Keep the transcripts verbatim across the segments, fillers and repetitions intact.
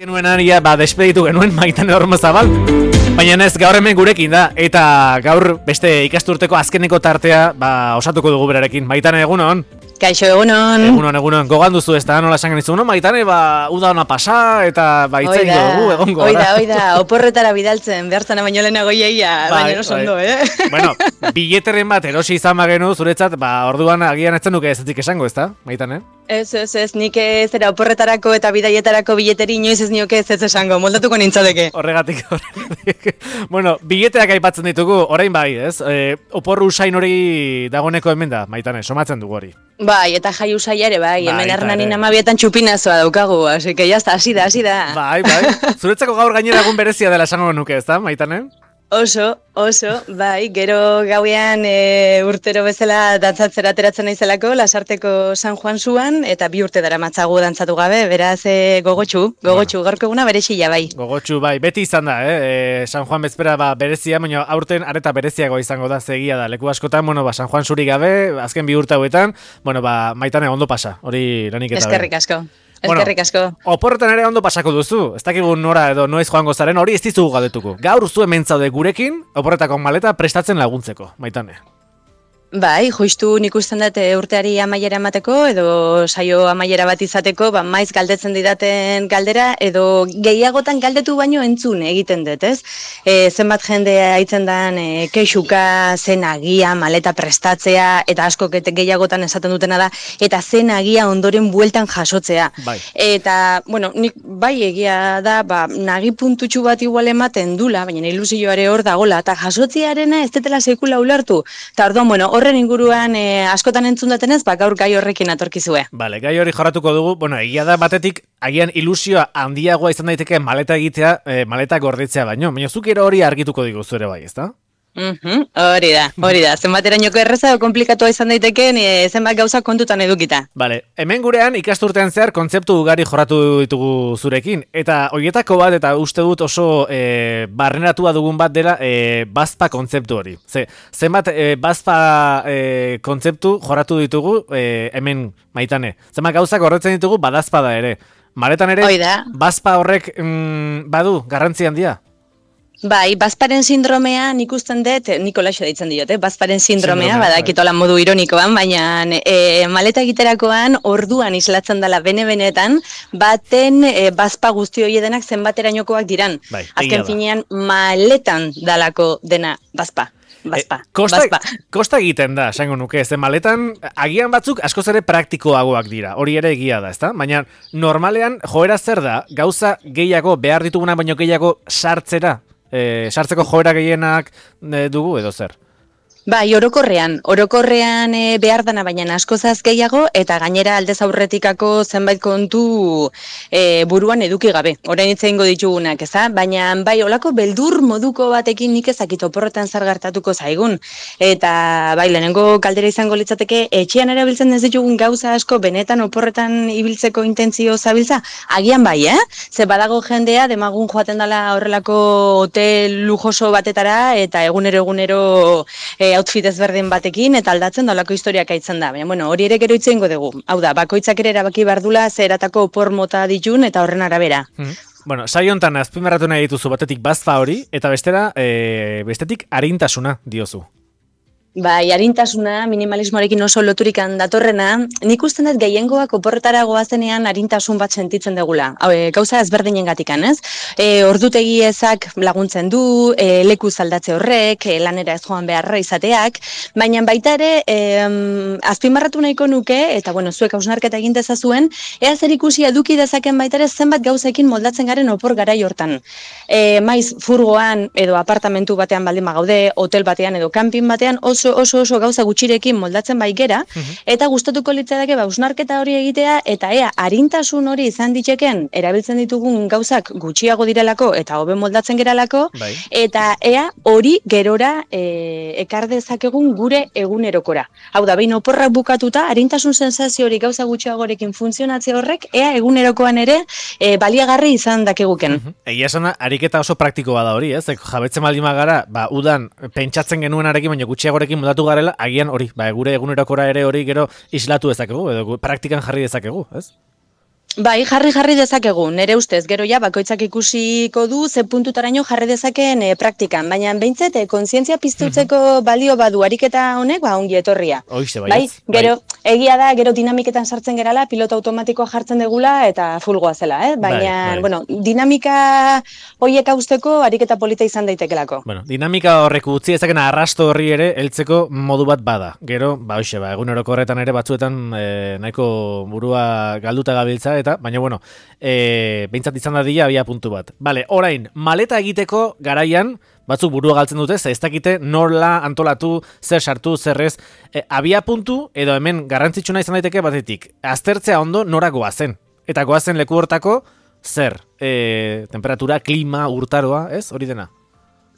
Genuen aria, ba, despeditu genuen Maitane Ormozabal, baina ez gaur hemen gurekin da, eta gaur beste ikasturteko azkeneko tartea ba, osatuko dugu berarekin. Maitane, egunon? Kaixo, egunon. Egunon, egunon. Gogan duzu ez da, nola esan genizu, no? Maitane, ba, uda ona pasa, eta ba, itzaiko dugu, egongo. Oida, oida, oporretara bidaltzen, behartzana baino lehenago iaia, baina no sondo, eh? Bueno, bileteren bat erosi izan bagenu, zuretzat, ba, orduan agian etzen duke ezetik esango, ez da, Maitane? Ez, ez, ez, nik ez era oporretarako eta bidaietarako bileteri inoiz ez nioke ez ez esango, moldatuko nintzadeke. Horregatik, horregatik. Bueno, bileteak aipatzen ditugu, orain bai, ez? E, oporru usain hori dagoneko hemen da, Maitane, somatzen dugu hori. Bai, eta jai usaia ere, bai, hemen Hernanin amabietan txupinazoa daukagu, así que jazta, hasi da, hasi da. Bai, bai, zuretzako gaur gainera egun berezia dela esango nuke, ez da, Maitane? Oso, oso, bai, gero gauean e, urtero bezala dantzatzera ateratzen naizelako, Lasarteko San Juan zuan, eta bi urte dara matzagu dantzatu gabe, beraz e, gogotxu, gogotxu, bueno. Gaurko eguna berezia bai. Gogotxu, bai, beti izan da, eh? E, San Juan bezpera ba, berezia, baina aurten areta bereziago izango da, zegia da, leku askotan, bueno, ba, San Juan zuri gabe, azken bi urte hauetan, bueno, ba, Maitane ondo pasa, hori lanik eta eskerrik asko. Bueno, eskerrik asko. Oporretan ere ondo pasako duzu, ez dakigu nora edo noiz joango zaren, hori ez dizugu galdetuko. Gaur zu hemen zaude gurekin, oporretako maleta prestatzen laguntzeko, Maitane. Bai, justu nik usten dut urteari amaiera emateko edo saio amaiera bat izateko, ba, maiz galdetzen didaten galdera edo gehiagotan galdetu baino entzun egiten dut, ez? E, zenbat jende haitzen dan e, kexuka, zen agia, maleta prestatzea, eta asko gehiagotan esaten dutena da, eta zen agia ondoren bueltan jasotzea. Bai. Eta, bueno, nik bai egia da, ba, nagi puntutxu bat igual ematen dula, baina ilusioare hor dagola, eta jasotzearena ez detela sekula ulertu. Eta orduan, bueno, horren inguruan e, askotan entzun datenez, ba, gaur gai horrekin atorkizue. Bale, gai hori jorratuko dugu, bueno, egia da batetik, agian ilusioa handiagoa izan daiteke maleta egitea, e, maleta gordetzea baino, baina zuk ero hori argituko diguzu ere bai, ezta? Mhm, hori da, hori da, zenbaterainoko erreza o komplikatua izan daitekeen e, zenbat gauza kontutan edukita. Bale, hemen gurean ikasturtean zehar kontzeptu ugari jorratu ditugu zurekin, eta horietako bat, eta uste dut oso e, barneratua dugun bat dela e, bazpa kontzeptu hori. Ze, zenbat e, bazpa e, kontzeptu jorratu ditugu e, hemen Maitane. Zenbat gauzak horretzen ditugu badazpada ere. Maletan ere, bazpa horrek mm, badu garrantzi handia? Bai, bazparen sindromea nik usten dut, Nikolaxo deitzen diote, bazparen sindromea, badakitola modu ironikoan, baina e, maleta egiterakoan orduan islatzen dela bene-benetan, baten e, bazpa guzti hori denak zenbaterainokoak diran. Bai, azken finean maletan dalako dena bazpa. Bazpa, e, kosta, bazpa. Kosta egiten da, esango nuke, ze maletan agian batzuk askoz ere praktikoagoak dira, hori ere egia da, ezta? Baina normalean joera zer da, gauza gehiago, behar dituguna baino gehiago sartzera? E, sartzeko joera gehienak e, dugu edo zer? Bai, orokorrean, orokorrean e, behar dana baina askozaz gehiago eta gainera aldez aurretikako zenbait kontu e, buruan eduki gabe. Orain itzeingo ditugunak, eza? Baina bai, olako beldur moduko batekin nik ezakit oporretan zer gertatuko zaigun. Eta bai, lehenengo kaldera izango litzateke, etxean erabiltzen ez ditugun gauza asko benetan oporretan ibiltzeko intentzio zabiltza? Agian bai, eh? Ze badago jendea demagun joaten dela horrelako hotel lujoso batetara eta egunero egunero e, outfit ezberdin batekin eta aldatzen dalako historiak aitzen da. Baina, bueno, hori ere gero itzeingo dugu. Hau da, bakoitzak ere erabaki bardula zeratako opor mota ditun eta horren arabera. Hmm. Bueno, saio hontan azpimarratu nahi dituzu batetik bazpa hori eta bestera, e, bestetik arintasuna diozu. Bai, arintasuna, minimalismoarekin oso loturikan datorrena, nik usten dut gehiengoak oporretara goazenean arintasun bat sentitzen degula. Hau, e, gauza ezberdinen gatikan, ez? E, ordutegi ezak laguntzen du, e, leku zaldatze horrek, e, lanera ez joan beharra izateak, baina baita ere, e, azpimarratu nahiko nuke, eta bueno, zuek hausnarketa egin dezazuen, ea zer ikusi eduki dezaken baita ere zenbat gauzekin moldatzen garen opor garai hortan. E, maiz, furgoan edo apartamentu batean baldin bagaude, hotel batean edo kanpin batean, oso Oso, oso oso gauza gutxirekin moldatzen bai gera, uh-huh. eta gustatuko litzateke ba hausnarketa hori egitea eta ea arintasun hori izan diteken erabiltzen ditugun gauzak gutxiago direlako eta hobe moldatzen geralako, bai. Eta ea hori gerora e, ekar dezakegun gure egunerokora. Hau da, behin oporrak bukatuta, arintasun sensazio hori gauza gutxiagorekin funtzionatzea horrek, ea egunerokoan ere e, baliagarri izan dakeguken. Uh-huh. Egia esana, ariketa oso praktikoa da hori, ez? Jabetzen baldin bagara, ba, udan pentsatzen genuenarekin, baina gutxiagorekin moldatu garela, agian hori, ba, gure egunerokora ere hori gero islatu dezakegu, edo praktikan jarri dezakegu, ez? Bai, jarri jarri dezakegu, nere ustez, gero ja, bakoitzak ikusiko du, ze puntutaraino jarri dezakeen e, praktikan, baina behintzet, e, kontzientzia piztutzeko balio badu ariketa honek, ba, ongi etorria. Hoize, bai, gero, bai. Egia da, gero dinamiketan sartzen gerala, pilota automatikoa jartzen degula, eta fulgoa zela, eh? Baina, bai, bai. bueno, dinamika hoiek hausteko ariketa polita izan daitekelako. Bueno, dinamika horrek utzi ezaken arrasto horri ere, heltzeko modu bat bada. Gero, ba, hoxe, ba, eguneroko horretan ere batzuetan e, nahiko burua galduta gabiltza, eta baina bueno, e, behintzat izan da dira abia puntu bat. Bale, orain, maleta egiteko garaian, batzuk burua galtzen dute, ze ez dakite norla antolatu, zer sartu, zer ez, e, abia puntu, edo hemen garrantzitsuna izan daiteke batetik, aztertzea ondo nora goazen. Eta goazen leku hortako, zer, e, temperatura, klima, urtaroa, ez, hori dena?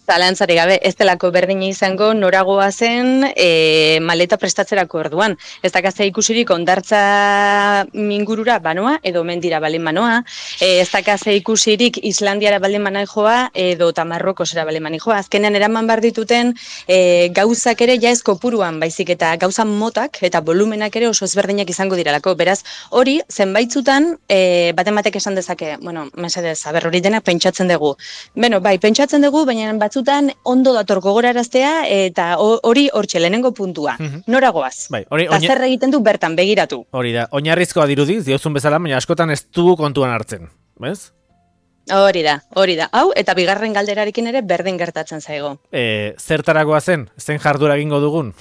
Zalantzari gabe, ez delako berdina izango noragoa zen e, maleta prestatzerako orduan. Ez dakazea ikusirik ondartza mingurura banoa, edo mendira balen banoa, e, ez dakazea ikusirik Islandiara balen banai joa, edo Tamarrokosera balen banai joa. Azkenean eraman bar dituten e, gauzak ere ja ez kopuruan, baizik eta gauza motak eta volumenak ere oso ezberdinak izango diralako. Beraz, hori, zenbaitzutan, e, baten batek esan dezake, bueno, mesedez, aber hori denak pentsatzen dugu. Beno, bai, pentsatzen dugu, baina batzutan ondo dator gogoraraztea eta hori hortxe lehenengo puntua. Mm-hmm. Nora goaz. Bai, hori oina... zer egiten du bertan begiratu. Hori da, oinarrizkoa dirudiz, diozun bezala, baina askotan ez du kontuan hartzen. Bez? Hori da, hori da. Hau, eta bigarren galderarekin ere berdin gertatzen zaigo. E, zertaragoa zen? Zen jardura egingo dugun?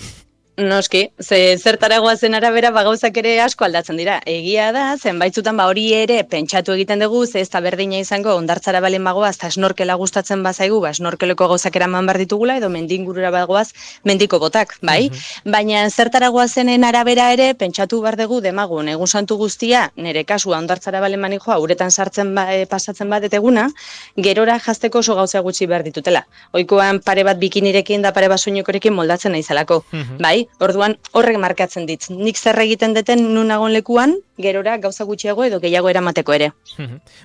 Noski, ze zertaragoa zen arabera bagauzak ere asko aldatzen dira. Egia da, zenbaitzutan ba hori ere pentsatu egiten dugu, ze ez da berdina izango ondartzara balen bagoaz, eta snorkela gustatzen bazaigu, ba snorkeleko gauzak eraman behar ditugula, edo mendingurura bagoaz, mendiko botak, bai? Mm-hmm. Baina zertaragoa zenen arabera ere, pentsatu behar dugu demagun, egun santu guztia, nire kasua ondartzara balen mani joa, uretan sartzen ba, e, pasatzen bat eteguna, gerora jazteko oso gauza gutxi behar ditutela. Oikoan pare bat bikinirekin da pare bat soinekorekin moldatzen naizelako, mm-hmm. bai? Orduan horrek markatzen dit. Nik zer egiten deten nunagon lekuan, gerora gauza gutxiago edo gehiago eramateko ere.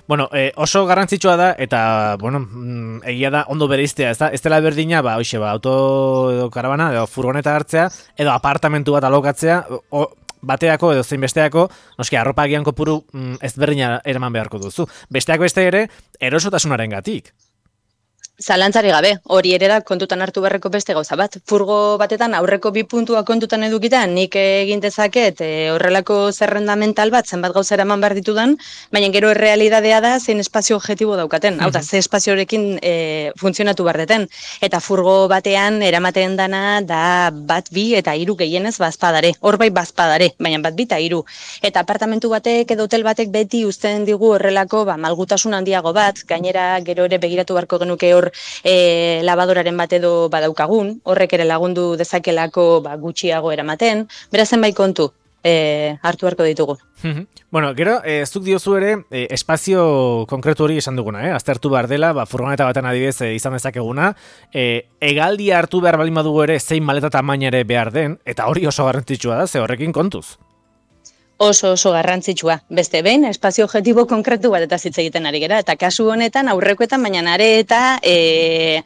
Bueno, eh, oso garrantzitsua da, eta, bueno, egia da ondo bereiztea, ez da? Ez dela berdina, ba, hoxe, ba, auto edo karabana, edo furgoneta hartzea, edo apartamentu bat alokatzea, o, bateako edo zein besteako, noski, arropa agian kopuru mm, ez berdina eraman beharko duzu. Besteak beste ere, erosotasunaren gatik. Zalantzari gabe, hori ere da kontutan hartu beharreko beste gauza bat. Furgo batetan aurreko bi puntua kontutan edukitan, nik egin dezaket e, horrelako zerrenda mental bat, zenbat gauza eraman behar ditudan, baina gero errealidadea da zein espazio objektibo daukaten. Hau da, ze espaziorekin e, funtzionatu behar deten. Eta furgo batean eramaten dana da bat bi eta hiru gehienez bazpadare. Hor bai bazpadare, baina bat bi eta hiru. Eta apartamentu batek edo hotel batek beti uzten digu horrelako ba, malgutasun handiago bat, gainera gero ere begiratu beharko genuke hor E, labadoraren bat edo badaukagun, horrek ere lagundu dezakelako ba, gutxiago eramaten, beraz zenbait kontu e, hartu beharko ditugu. Bueno, gero, e, zuk diozu ere e, espazio konkretu hori esan duguna, eh? Aztertu behar dela, ba, furgoneta baten adibidez e, izan dezakeguna, e, egaldia hartu behar balin badugu ere zein maleta tamaina ere behar den, eta hori oso garrantzitsua da, ze horrekin kontuz. Oso oso garrantzitsua. Beste behin, espazio objektibo konkretu bat eta hitz egiten ari gera. Eta kasu honetan, aurrekoetan, baina are eta e,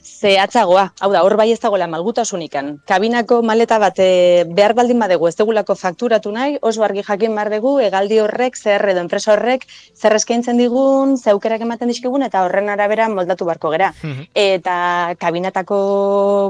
zehatzagoa. Hau da, hor bai ez dagoela malgutasunikan. Kabinako maleta bat e, behar baldin badegu ez degulako fakturatu nahi, oso argi jakin behar dugu, egaldi horrek, zer edo enpresa horrek, zer eskaintzen digun, zeukerak ematen dizkigun, eta horren arabera moldatu beharko gera. Mm-hmm. Eta kabinetako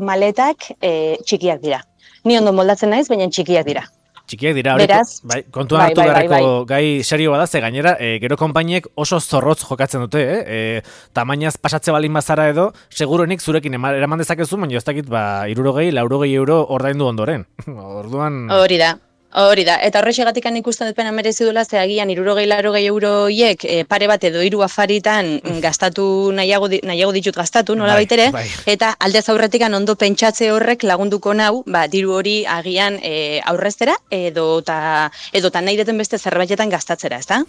maletak e, txikiak dira. Ni ondo moldatzen naiz, baina txikiak dira. Txikiak dira, hori, bai, kontuan hartu bai, bai, bai, bai. Gai serio bada, ze gainera, e, gero konpainiek oso zorrotz jokatzen dute, eh? E, tamainaz pasatze balin bazara edo, seguruenik zurekin eraman dezakezu, baina ez dakit, ba, hirurogei, laurogei euro ordaindu ondoren. Orduan... Hori da. Hori da, eta horrexegatikan ikusten dut pena merezi duela, ze agian hirurogei laurogei euroiek e, pare bat edo hiru afaritan gastatu nahiago, nahiago ditut gastatu, nola bai, baitere, bai. Eta aldez aurretikan ondo pentsatze horrek lagunduko nau, ba, diru hori agian e, aurreztera edo ta, edo ta nahi deten beste zerbaitetan gastatzera, ezta?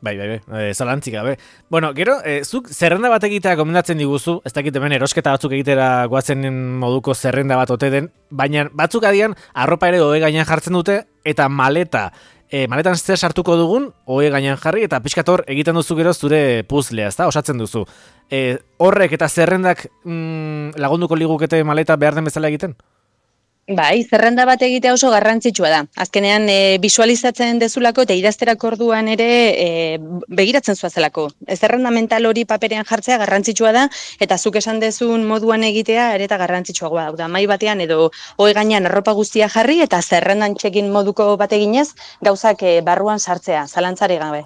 Bai, bai, bai, e, zalantzik gabe. Bueno, gero, e, zuk zerrenda bat egitea gomendatzen diguzu, ez dakit hemen erosketa batzuk egitera goatzen moduko zerrenda bat ote den, baina batzuk adian arropa ere hobe gainean jartzen dute, eta maleta, e, maletan zer sartuko dugun, hoe gainean jarri, eta pixkator egiten duzu gero zure puzlea, ezta? Osatzen duzu. E, horrek eta zerrendak mm, lagunduko ligukete maleta behar den bezala egiten? Bai, zerrenda bat egitea oso garrantzitsua da. Azkenean e, visualizatzen dezulako eta idazterak orduan ere e, begiratzen zuazelako. E, zerrenda mental hori paperean jartzea garrantzitsua da eta zuk esan dezun moduan egitea ere eta garrantzitsuagoa da. Mai batean edo hoi gainean arropa guztia jarri eta zerrendan txekin moduko bat eginez gauzak e, barruan sartzea, zalantzari gabe.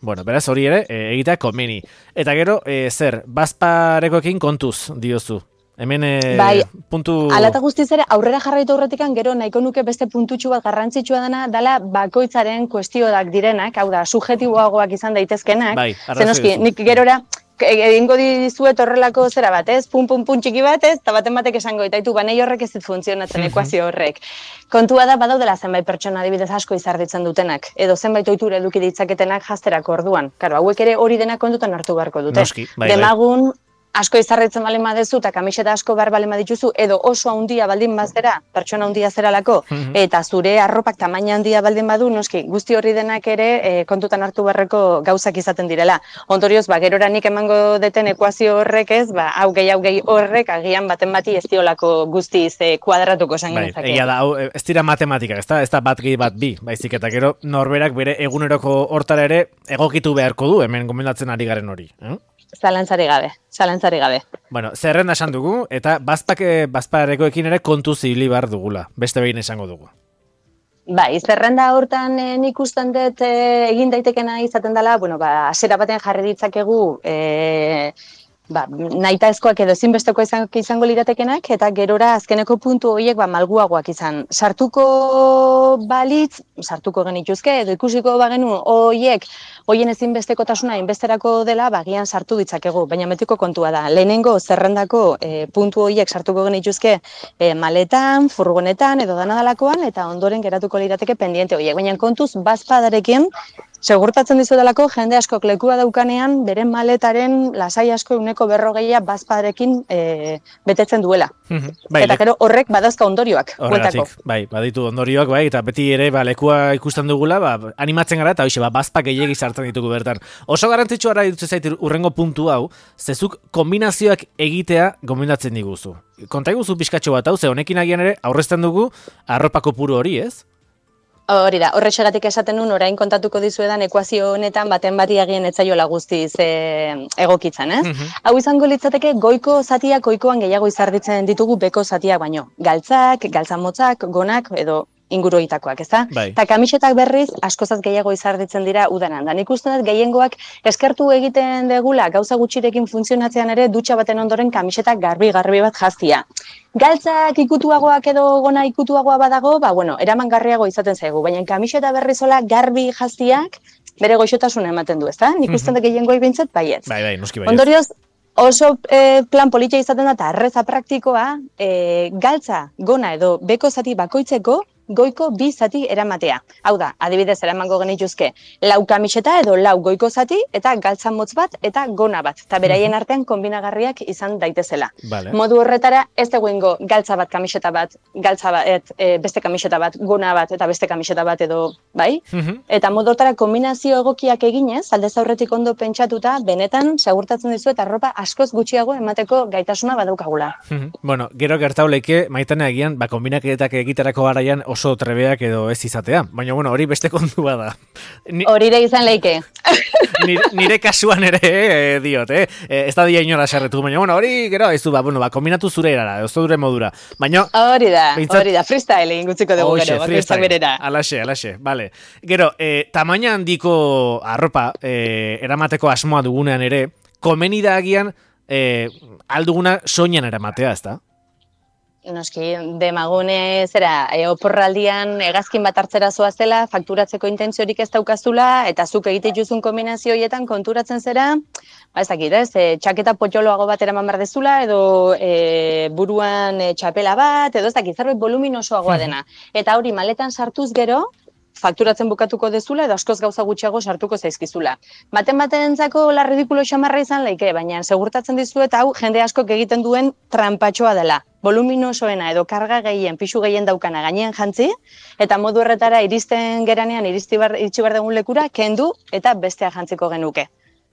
Bueno, beraz hori ere e, egitea komeni. Eta gero, e, zer, bazparekoekin kontuz diozu? Hemen e, bai, puntu... Alata guztiz ere, aurrera jarraitu aurretikan gero nahiko nuke beste puntutxu bat garrantzitsua dena dala bakoitzaren kuestioak direnak, hau da, subjetiboagoak izan daitezkenak. Bai, zenoski, nik gerora egingo dizuet horrelako zera bat, ez? Pun, pun, pun txiki bat, ez? Eta baten batek esango, eta itu, banei horrek ez dit funtzionatzen ekuazio horrek. Kontua da, badaudela zenbait pertsona adibidez asko izarditzen dutenak, edo zenbait ohitura eduki ditzaketenak jazterako orduan. Karo, hauek ere hori denak kontutan hartu beharko dute. Noski, bai, Demagun, asko izarritzen baldin badezu eta kamiseta asko behar baldin badituzu, edo oso handia baldin bazera, pertsona handia zeralako, eta zure arropak tamaina handia baldin badu, noski, guzti horri denak ere e, kontutan hartu beharreko gauzak izaten direla. Ondorioz, ba, gerora nik emango deten ekuazio horrek ez, ba, hau gehi, hau gehi horrek, agian baten bati ez diolako guztiz e, kuadratuko esan bai, genezake. Egia da, hau, ez dira matematikak, ez da, ez da bat gehi bat bi, baizik eta gero norberak bere eguneroko hortara ere egokitu beharko du, hemen gomendatzen ari garen hori. Eh? Zalantzari gabe, zalantzari gabe. Bueno, zerrenda esan dugu, eta bazpake, bazparekoekin ere kontu zibili behar dugula, beste behin esango dugu. Bai, zerrenda hortan e, nik usten dut e, egin daitekena izaten dela, bueno, ba, asera batean jarri ditzakegu, e, ba, nahitaezkoak edo ezinbesteko izango liratekenak, eta gerora azkeneko puntu horiek ba, malguagoak izan. Sartuko balitz, sartuko genituzke, edo ikusiko bagenu horiek, hoien ezinbestekotasuna inbesterako dela, bagian sartu ditzakegu, baina metiko kontua da. Lehenengo zerrendako e, puntu horiek sartuko genituzke e, maletan, furgonetan, edo danadalakoan, eta ondoren geratuko lirateke pendiente horiek. Baina kontuz, bazpadarekin, segurtatzen dizudalako, jende askok lekua daukanean, beren maletaren lasai asko uneko berrogeia bazpadarekin e, betetzen duela. Bai, eta gero horrek badazka ondorioak. Horregatik, bai, baditu ondorioak, bai, eta beti ere ba, lekua ikusten dugula, ba, animatzen gara, eta hoxe, ba, bazpak gehiegi sartzen ditugu bertan. Oso garrantzitsua ara dituz zait urrengo puntu hau, zezuk kombinazioak egitea gomendatzen diguzu. Konta iguzu pixkatxo bat hau, ze honekin agian ere aurrezten dugu arropako puru hori, ez? Hori da, horrexegatik esaten nun, orain kontatuko dizuedan ekuazio honetan baten bati agien etzaiola guztiz e, egokitzen, ez? Mm -hmm. Hau izango litzateke goiko zatiak goikoan gehiago izarditzen ditugu beko zatiak baino. Galtzak, galtzamotzak, gonak edo inguruitakoak, ez da? Bai. Eta kamisetak berriz askozaz gehiago izarditzen dira udanan. Da nik uste dut gehiengoak eskertu egiten degula gauza gutxirekin funtzionatzean ere dutxa baten ondoren kamisetak garbi-garbi bat jaztia. Galtzak ikutuagoak edo gona ikutuagoa badago, ba, bueno, eramangarriago izaten zaigu, baina kamiseta berrizola garbi jaztiak bere goixotasuna ematen du, ezta? Nik uste dut gehiengoak bintzat, baietz. Bai, bai, noski baietz. Ondorioz, oso e, plan politia izaten da, eta erreza praktikoa, e, galtza, gona edo beko zati bakoitzeko, goiko bi zati eramatea. Hau da, adibidez eramango genituzke, lau kamiseta edo lau goiko zati, eta galtza motz bat, eta gona bat. Eta beraien artean kombinagarriak izan daitezela. Vale. Modu horretara, ez dagoengo galtza bat, kamiseta bat, galtza bat, e, beste kamiseta bat, gona bat, eta beste kamiseta bat edo, bai? Mm-hmm. Eta modu horretara kombinazio egokiak eginez, aldez aurretik ondo pentsatuta, benetan, segurtatzen dizu eta arropa askoz gutxiago emateko gaitasuna badaukagula. Mm-hmm. Bueno, gero gertauleke, Maitane agian, ba, kombinaketak egiterako garaian oso trebeak edo ez izatea. Baina, bueno, hori beste kontua da. Ni... Hori da izan leike. nire, nire kasuan ere, eh, diot, eh? eh? Ez da dia inora sarretu, baina, bueno, hori gero, ez du, ba, bueno, ba, kombinatu zure erara, ez dure modura. Baina... Hori da, bintzat... hori da, freestyle egin gutziko dugu Oixe, gero, bakoitzak berera. Alaxe, alaxe, bale. Gero, eh, tamaina handiko arropa eh, eramateko asmoa dugunean ere, komeni da agian eh, alduguna soinan eramatea, ez da? Noski, demagune zera, e, oporraldian hegazkin bat hartzera zoazela, fakturatzeko intentziorik ez daukazula, eta zuk egite juzun kombinazio horietan konturatzen zera, ba ez dakit, ez, e, txaketa potxoloago bat eraman behar dezula, edo e, buruan e, txapela bat, edo ez dakit, zerbait voluminosoagoa dena. Eta hori maletan sartuz gero, fakturatzen bukatuko dezula edo askoz gauza gutxiago sartuko zaizkizula. Baten batentzako la ridikulo xamarra izan leike, baina segurtatzen dizuet hau jende askok egiten duen trampatxoa dela. Voluminosoena edo karga gehien, pixu gehien daukana gainean jantzi, eta modu horretara iristen geranean, iritsi bar, iritsi bar dugun lekura, kendu eta bestea jantziko genuke.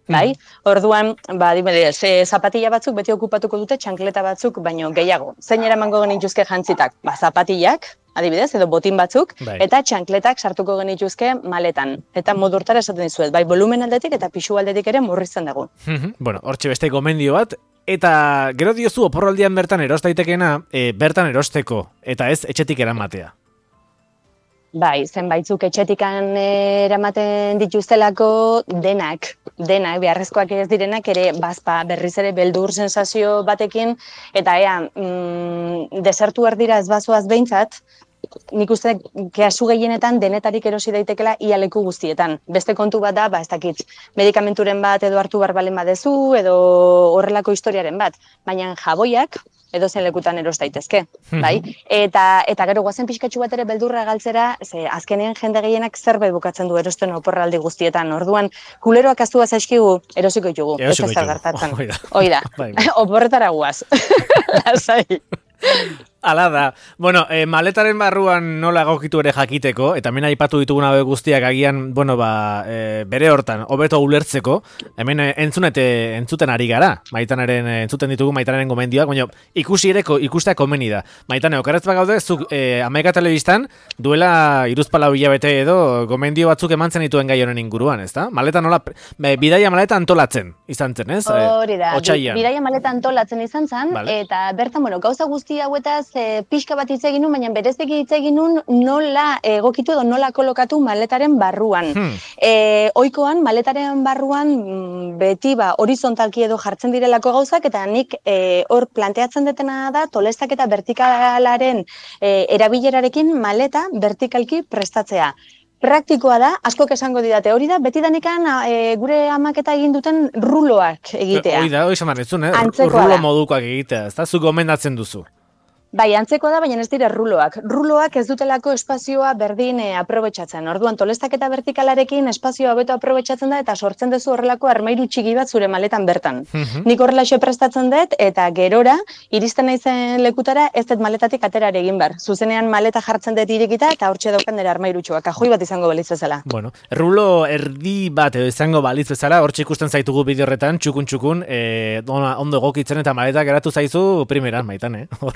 bai? Orduan, ba, adibidez, e, zapatilla batzuk beti okupatuko dute txankleta batzuk, baino gehiago. Zein eramango genituzke jantzitak? Ba, zapatillak, adibidez, edo botin batzuk, Bai. eta txankletak sartuko genituzke maletan. Eta modu hortara esaten dizuet, bai, volumen aldetik eta pisu aldetik ere murrizten dugu. Bueno, hortxe beste gomendio bat, eta gero diozu oporraldian bertan eros daitekena, e, bertan erosteko, eta ez etxetik eramatea. Bai, zenbaitzuk etxetikan eramaten dituztelako denak, denak, beharrezkoak ez direnak ere bazpa berriz ere beldur sensazio batekin, eta ea, mm, desertu erdira ez bazoaz behintzat, nik uste kasu gehienetan denetarik erosi daitekela ia leku guztietan. Beste kontu bat da, ba, ez dakit, medikamenturen bat edo hartu barbalen badezu, edo horrelako historiaren bat, baina jaboiak, edo zen lekutan eros daitezke, bai? Eta, eta gero guazen pixkatxu bat ere beldurra galtzera, ze azkenean jende gehienak zerbait bukatzen du erosten oporraldi guztietan. Orduan, kuleroak aztu zaizkigu, erosiko ditugu. Erosiko ez ez ditugu. gertatzen. Hoi da. Hoi da. Oporretara guaz. Lasai. Ala da. Bueno, e, maletaren barruan nola egokitu ere jakiteko, eta hemen aipatu ditugun hauek guztiak agian, bueno, ba, e, bere hortan, hobeto ulertzeko, hemen e, entzunete, entzuten ari gara, Maitanaren, e, entzuten ditugu Maitanaren gomendioak, baina ikusi ere, ikustea komeni da. Maitane, okarretz bagaude, zuk e, Amaika Telebistan, duela iruzpalau hilabete edo, gomendio batzuk emantzen dituen gai honen inguruan, ezta? Maleta nola, be, bidaia maleta antolatzen, izan zen, ez? Hori da, Otsailean. bidaia maleta antolatzen izan zen, Vale. eta bertan, bueno, gauza guzti hauetaz, E, pixka bat hitz egin nun, baina bereziki hitz egin nun nola egokitu edo nola kolokatu maletaren barruan. Hmm. E, oikoan, maletaren barruan mm, beti ba, horizontalki edo jartzen direlako gauzak, eta nik e, hor planteatzen detena da tolestak eta vertikalaren e, erabilerarekin maleta vertikalki prestatzea. Praktikoa da, askok esango didate, hori da, beti danikan e, gure amaketa egin duten ruloak egitea. Hoi da, hoi esan eh? Antzekoa Rulo da. modukoak egitea, ez da? Zuk gomendatzen duzu. Bai, antzekoa da, baina ez dira ruloak. Ruloak ez dutelako espazioa berdin e, aprobetxatzen. Orduan, tolestak eta vertikalarekin espazioa beto aprobetxatzen da eta sortzen duzu horrelako armairu txiki bat zure maletan bertan. Mhm. Nik horrelaxe prestatzen dut eta gerora, iristen naizen lekutara ez dut maletatik aterare egin behar. Zuzenean maleta jartzen dut irekita eta hortxe daukan dira armairutxoa. Kajoi bat izango balitz bezala. Bueno, rulo erdi bat edo izango balitz bezala, hortxe ikusten zaitugu bideo horretan, txukun-txukun, e, ondo egokitzen eta maleta geratu zaizu primeran, Maitan, eh? Hor.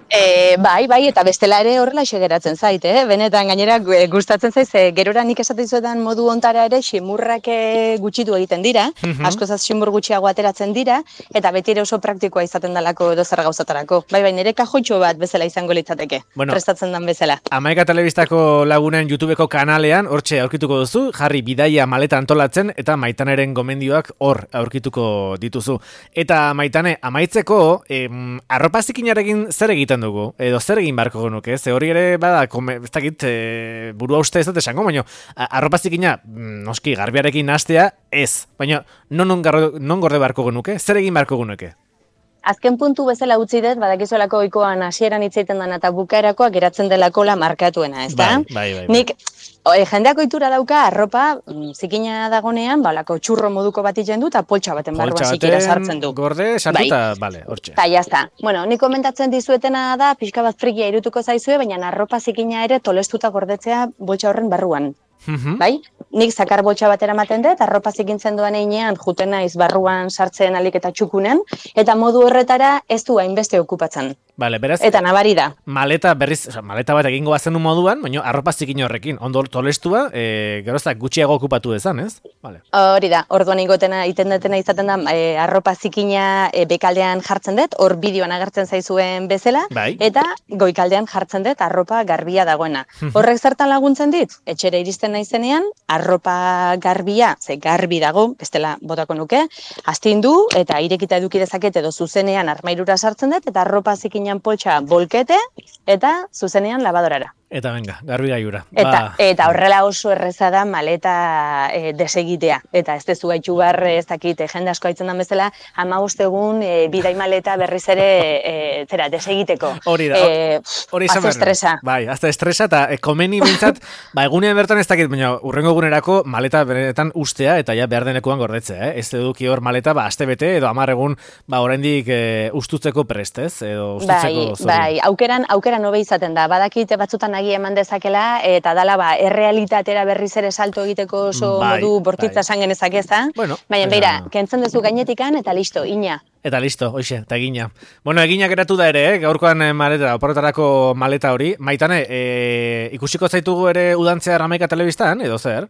E, bai, bai, eta bestela ere horrela geratzen zait, eh? Benetan gainera gu- gustatzen zaiz, e, gerora nik esaten zuetan modu ontara ere ximurrak e, gutxitu egiten dira, Mhm. askozaz ximur gutxiago ateratzen dira, eta beti ere oso praktikoa izaten dalako edo zer gauzatarako. Bai, bai, nire kajoitxo bat bezala izango litzateke, Bueno. prestatzen dan bezala. Amaika Telebistako lagunen YouTubeko kanalean, hortxe aurkituko duzu, jarri bidaia maleta antolatzen, eta Maitaneren gomendioak hor aurkituko dituzu. Eta Maitane, amaitzeko, em, arropa zikinarekin zer egiten dugu? Edo zer egin beharko genuke? Ze hori ere, bada, kome, ez dakit, e, burua uste ez dut esango, baina a- arropa zikina, mm, noski, garbiarekin nastea, ez. Baina, non, non, garro- non gorde beharko genuke? Zer egin beharko genuke? Azken puntu bezala utzi dut, badakizuelako ohikoan hasieran hitz egiten dana eta bukaerakoa geratzen delakola markatuena, ezta? Bai, bai, bai, bai. Nik o, e, jendeak ohitura dauka arropa mm, zikina dagonean, ba holako txurro moduko bat egiten du eta poltsa baten barruan Poltsa zikira baten sartzen du. gorde, sartu Bai. eta, bale, hortxe. Eta jazta. Bueno, nik komentatzen dizuetena da, pixka bat frikia irutuko zaizue, baina arropa zikina ere tolestuta gordetzea boltsa horren barruan. Mhm. Bai? Nik zakar boltsa batera ematen dut, arropa zikintzen duan einean juten naiz barruan sartzen alik eta txukunen, eta modu horretara ez du hainbeste okupatzen. Bale, beraz, Eta nabari da. maleta berriz, oza, maleta bat egingo bazen moduan, baina arropa zikin horrekin, ondo tolestua, e, geroztak gutxiago okupatu dezan, ez? Vale. Hori da, orduan igotena, iten detena izaten da, e, arropa zikina e, bekaldean jartzen dut, hor bideoan agertzen zaizuen bezala, Bai. eta goikaldean jartzen dut arropa garbia dagoena. Horrek zertan laguntzen dit? Etxera iristen naizenean, arropa garbia, ze garbi dago, bestela botako nuke, astindu eta irekita eduki dezaket edo zuzenean armairura sartzen dut, eta arropa zikinan poltsa bolkete, eta zuzenean labadorara. Eta venga, garbi gaiura. Eta, eta horrela oso erreza da maleta e, desegitea. Eta ez dezu gaitxu bar, ez dakit, e, jende asko haitzen den bezala, hamabost egun e, bidai maleta berriz ere e, zera, desegiteko. Hori da, E, hori azte izan behar du. estresa. Bai, azte estresa, eta e, komeni bintzat, ba, egunean bertan ez dakit, baina urrengo egunerako maleta benetan ustea, eta ja behar denekuan gordetzea, eh? Ez eduki hor maleta, ba, aste bete, edo hamar egun, ba, oraindik e, ustutzeko prest, ez? Edo ustutzeko Bai, zori. bai, aukeran, aukeran hobe izaten da. Badakite batzutan nagia eman dezakela, eta dala ba, errealitatera berriz ere salto egiteko oso Bai, modu bortitza bai. esan genezak eza. Bueno, baina, baina- beira, kentzen duzu gainetikan, eta listo, ina. Eta listo, hoxe, eta egina. Bueno, egina geratu da ere, eh? Gaurkoan eh, maleta, oporretarako maleta hori. Maitane, eh, ikusiko zaitugu ere udantzea Ramaika telebistan, edo zer?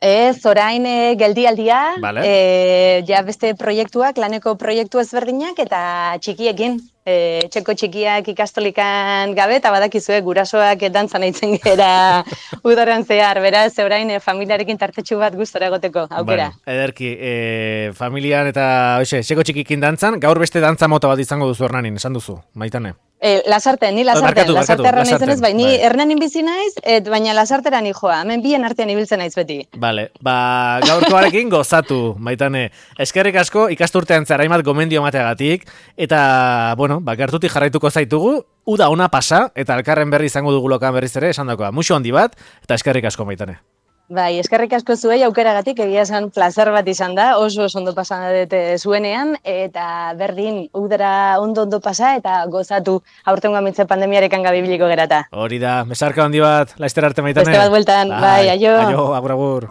Ez, orain e, geldialdia, Vale. e, ja beste proiektuak, laneko proiektu ezberdinak, eta txikiekin. E, txeko txikiak ikastolikan gabe, eta badakizue gurasoak dantzan aitzen gera udaran zehar, beraz, orain e, familiarekin tartetxu bat gustora egoteko, aukera. Bueno, ederki, eh, familian eta, hoxe, txeko txikikin dantzan, gaur beste dantza mota bat izango duzu Hernanin, esan duzu, Maitane. E, lasarte, ni lasarten, barkatu, lasarte barkatu, erran lasarten, naizenez, bai, ni bai. Hernanin bizi naiz, et, baina lasartera ni joa, hemen bien artean ibiltzen naiz beti. Vale, ba, gaurkoarekin gozatu, Maitane. Eskerrik asko ikasturtean zehar hainbat gomendio emateagatik, eta, bueno, ba, gertutik jarraituko zaitugu, uda ona pasa, eta elkarren berri izango dugu lokan berriz ere, esan dakoa, muxo handi bat, eta eskerrik asko, Maitane. Bai, eskerrik asko zuei aukeragatik, egia esan plazer bat izan da, oso oso ondo pasan dute zuenean, eta berdin, udara ondo ondo pasa, eta gozatu aurtengo amitze pandemiarekan gabibiliko gerata. Hori da, mesarka handi bat, laizter arte, Maitane. Beste bat bueltan, bai, aio. Aio, agur, agur.